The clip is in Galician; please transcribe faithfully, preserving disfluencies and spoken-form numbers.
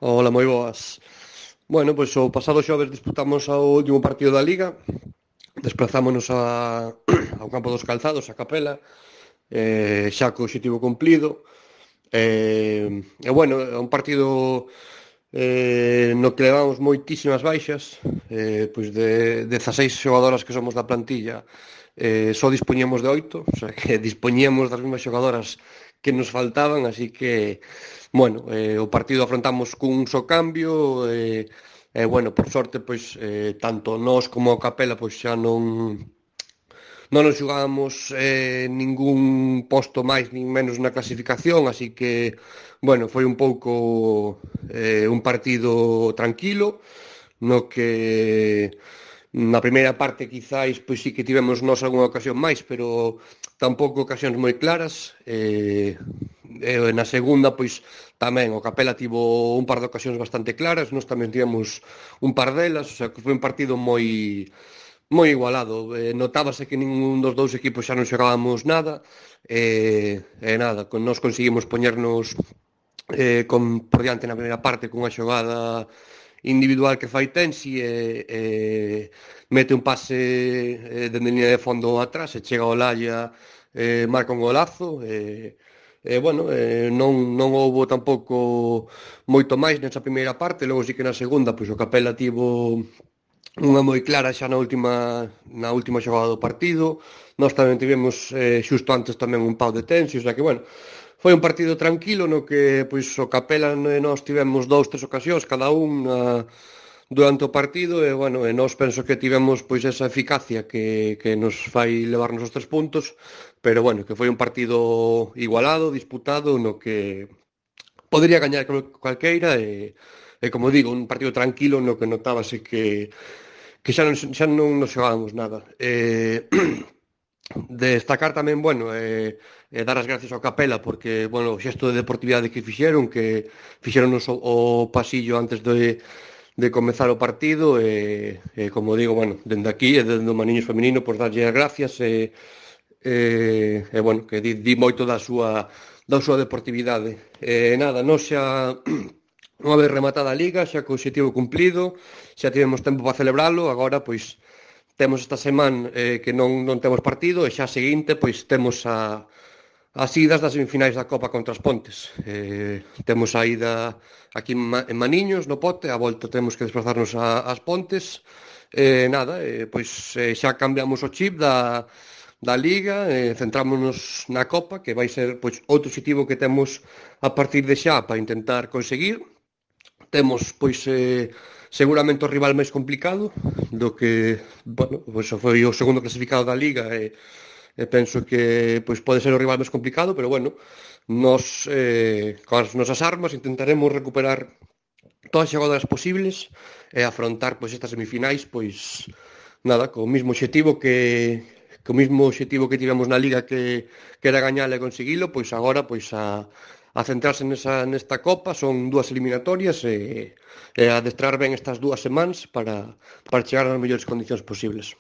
Ola, moi boas. Bueno, pois o pasado xoves disputamos o último partido da Liga. Desplazámonos a, ao campo dos Calzados, a Capela, eh, xa co obxectivo cumplido. E, e bueno, é un partido eh, no que levamos moitísimas baixas, eh, pois de dezaseis xogadoras que somos da plantilla, eh, só dispoñemos de oito, o sea que dispoñíamos das mesmas xogadoras que nos faltaban, así que, bueno, eh, o partido afrontamos cun só cambio, e, eh, eh, bueno, por sorte, pois, eh, tanto nós como o Capela, pois xa non non nos xogábamos eh, ningún posto máis nin menos na clasificación, así que, bueno, foi un pouco eh, un partido tranquilo, no que na primeira parte quizáis pois sí que tivemos nós algunha ocasión máis, pero tampouco ocasións moi claras. E, e na segunda pois tamén o Capela tivo un par de ocasións bastante claras, nós tamén tivemos un par delas, o sea que foi un partido moi moi igualado. Eh, notábase que ningún dos dous equipos xa non xogábamos nada, e, e nada, con nós conseguimos poñernos eh, con, por diante na primeira parte cunha xogada individual que fai Tensi, e, e mete un pase eh, dende liña de fondo atrás e chega ao Olaya, eh, marca un golazo, e, e bueno, eh, non, non houbo tampouco moito máis nesa primeira parte. Logo sí que na segunda pois o Capela tivo unha moi clara xa na última na última xogada do partido. Nós tamén tivemos eh, xusto antes tamén un pau de Tensi, o sea que, bueno, foi un partido tranquilo no que pois o Capela e nós tivemos dous, tres ocasións cada un na, durante o partido, e, bueno, e nós penso que tivemos pois esa eficacia que, que nos fai levarnos os tres puntos, pero, bueno, que foi un partido igualado, disputado, no que podería gañar calqueira, e, e como digo, un partido tranquilo no que notábase que que xa non, xa non nos xogábamos nada. Eh, destacar tamén, bueno, eh, eh, dar as gracias ao Capela porque, bueno, o xesto de deportividade que fixeron, que fixeronos o, o pasillo antes de, de comezar o partido, e, e como digo, bueno, dende aquí e dende o Maniños Feminino, pois darlle as gracias, e, e, e bueno, que di, di moito da súa da súa deportividade. E nada, nós xa unha vez rematada a Liga, xa co obxectivo cumplido, xa tivemos tempo para celebralo. Agora, pois, temos esta semana eh, que non, non temos partido, e xa a seguinte, pois, temos a, as idas das semifinais da Copa contra as Pontes. Eh, temos a ida aquí en, Ma- en Maniños, no Pote, a volta temos que desplazarnos a, ás Pontes. Eh, nada, eh, pois eh, xa cambiamos o chip da, da Liga, eh, centrámonos na Copa, que vai ser pois outro objetivo que temos a partir de xa para intentar conseguir. Temos, pois, eh, seguramente o rival máis complicado, do que, bueno, pois foi o segundo clasificado da Liga, e, e penso que pois pode ser o rival máis complicado, pero, bueno, nós, eh, con as nosas armas intentaremos recuperar todas as xogadoras posibles e afrontar pois estas semifinais, pois nada, co mismo obxectivo que co mismo obxectivo que tivemos na Liga, que, que era gañar e conseguilo, pois agora pois a, a centrarse nesa, nesta Copa. Son dúas eliminatorias, e, e a adestrar ben estas dúas semanas para, para chegar nas mellores condicións posibles.